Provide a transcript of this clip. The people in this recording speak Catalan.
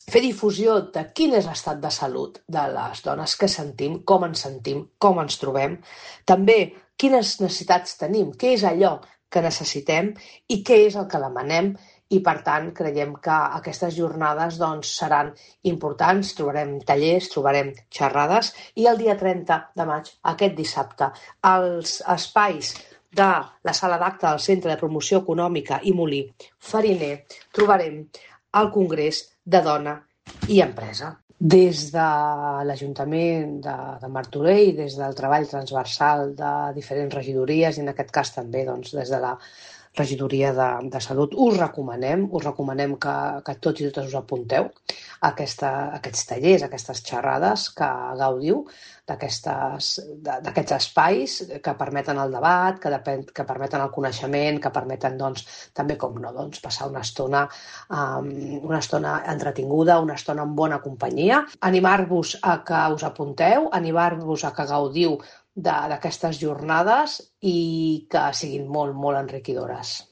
fer difusió de quin és l'estat de salut de les dones, què sentim, com ens trobem, també quines necessitats tenim, què és allò que necessitem i què és el que demanem, i per tant creiem que aquestes jornades seran importants, trobarem tallers, trobarem xerrades, i el dia 30 de maig, aquest dissabte, als espais de la sala d'acte del Centre de Promoció Econòmica i Molí Fariner trobarem el Congrés de Dona i Empresa. Des de l'Ajuntament de Martorell, des del treball transversal de diferents regidories i en aquest cas també des de la regidoria de Salut, us recomanem que tots i totes us apunteu a aquests tallers, a aquestes xerrades, que gaudiu d'aquests espais que permeten el debat, que permeten el coneixement, que permeten també, com no, passar una estona entretinguda, una estona en bona companyia. Animar-vos a que us apunteu, animar-vos a que gaudiu d'aquestes jornades i que siguin molt, molt enriquidores.